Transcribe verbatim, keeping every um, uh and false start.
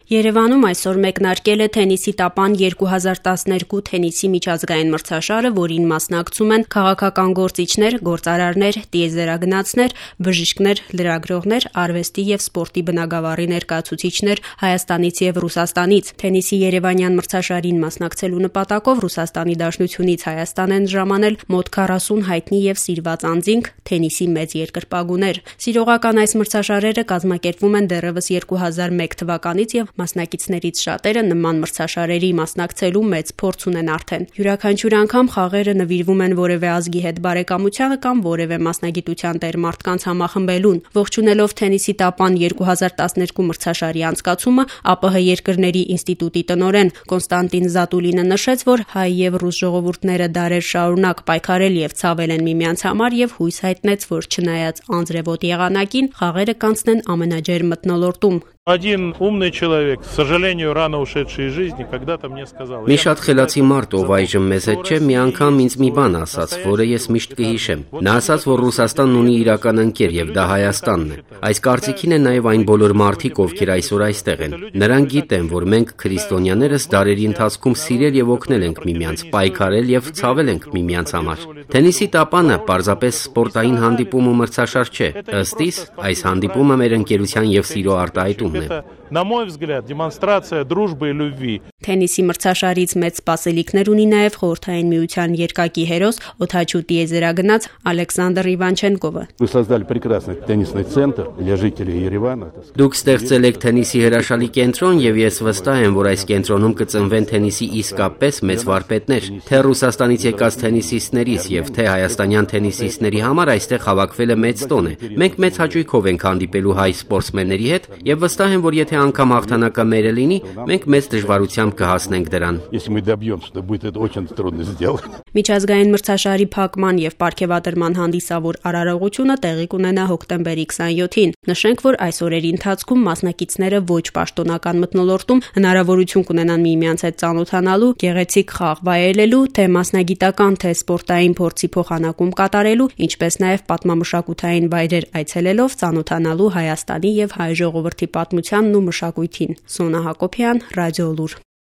Երևանում այսօր մեկնարկել է թենիսի տապան երկու հազար տասներկու թենիսի միջազգային մրցաշարը, որին մասնակցում են քաղաքական գործիչներ, գործարարներ, տիեզերագնացներ, բժիշկներ, լրագրողներ, արվեստի և սպորտի բնագավառի ներկայացուցիչներ Հայաստանից և Ռուսաստանից։ Թենիսի երևանյան մրցաշարին մասնակցելու նպատակով Ռուսաստանի Դաշնությունից Հայաստան են ժամանել մոտ քառասուն հայտնի և սիրված անձինք, թենիսի մեծ երկրպագուներ։ Սիրողական այս մրցաշարերը կազմակերպվում են դեռևս երկու հազար մեկ թվականից և մասնակիցներից շատերը նման մրցաշարերի մասնակցելու մեծ փորձ ունեն արդեն։ Յուրաքանչյուր անգամ խաղերը նվիրվում են որևէ ազգի հետ բարեկամությանը կամ որևէ մասնագիտության տեր մարդկանց համախմբելուն։ Ողջունելով թենիսի տապան երկու հազար տասներկու մրցաշարի անցկացումը, ԱՊՀ երկրների ինստիտուտի տնօրեն Կոնստանտին Զատուլինը նշեց, որ հայ և ռուս ժողովուրդները դարեր շարունակ պայքարել և ցավել են միմյանց համար և հույս հայտնեց, որ չնայած անձրևոտ եղանակին, խաղերը կանցնեն ամենաջերմ մթնոլորտում։ Один умный человек, к сожалению, рано ушедший из жизни, когда-то мне сказал. Մի շատ խելացի մարդ, ով այժմ մեզ հետ չէ, մի անգամ ինձ մի բան ասաց, որը ես միշտ կհիշեմ։ Նա ասաց, որ Ռուսաստանն ունի իրական ընկեր եւ դա Հայաստանն է։ Այս կարծիքին են նաեւ այն բոլոր մարդիկ, ովքեր այսօր այստեղ են։ Նրանք գիտեն, որ մենք քրիստոնյաներս դարերի ընթացքում սիրել եւ օգնել ենք միմյանց, պայքարել եւ ցավել ենք միմյանց համար։ Թենիսի տապանը պարզապես սպորտային հանդիպում ու մրցաշար չէ։ Ըստ իս, այս հանդիպումը մեր ընկերության եւ սիրո արտահայտում Это, на мой взгляд, демонстрация дружбы и любви. Թենիսի մրցաշարից մեծ սպասելիքներ ունի նաև Խորհրդային Միության երկակի հերոս օդաչու տիեզերագնաց Ալեքսանդր Իվանչենկովը։ Вы создали прекрасный теннисный центр для жителей Երևանը։ Դուք ստեղծել եք թենիսի հրաշալի կենտրոն եւ ես վստահ եմ, որ այս կենտրոնում կծնվեն թենիսի իսկապես մեծ վարպետներ։ Թե Ռուսաստանից եկած թենիսիստներից եւ թե հայաստանյան թենիսիստների համար այստեղ հավաքվել է մեծ տոն է։ Մենք մեծ հաճույքով ենք հանդիպելու հայ սպորտսմենների հետ եւ վստահ եմ, որ եթե անգամ հաղթանակը մերը լինի, մենք մեծ դժվարությամբ կհասնենք դրան։ Если мы добьемся, то будет это очень трудно сделать։ Միջազգային մրցաշարի փակման եւ պարգևատրման հանդիսավոր արարողությունը տեղի կունենա հոկտեմբերի քսաներկուին։ Նշենք, որ այս օրերի ընթացքում մասնակիցները ոչ պաշտոնական մթնոլորտում հնարավորություն կունենան միմյանց հետ ծանոթանալու, գեղեցիկ խաղ վայելելու, թե մասնագիտական, թե սպորտային փորձի փոխանակում կատարելու, ինչպես նաեւ պատմամշակութային վայրեր այցելելով ծանոթանալու Հայաստանի եւ հայ ժողովրդի պատմությանն ու մշակույթին։ Սոնա Հակոբյան, Ռադիոլուր։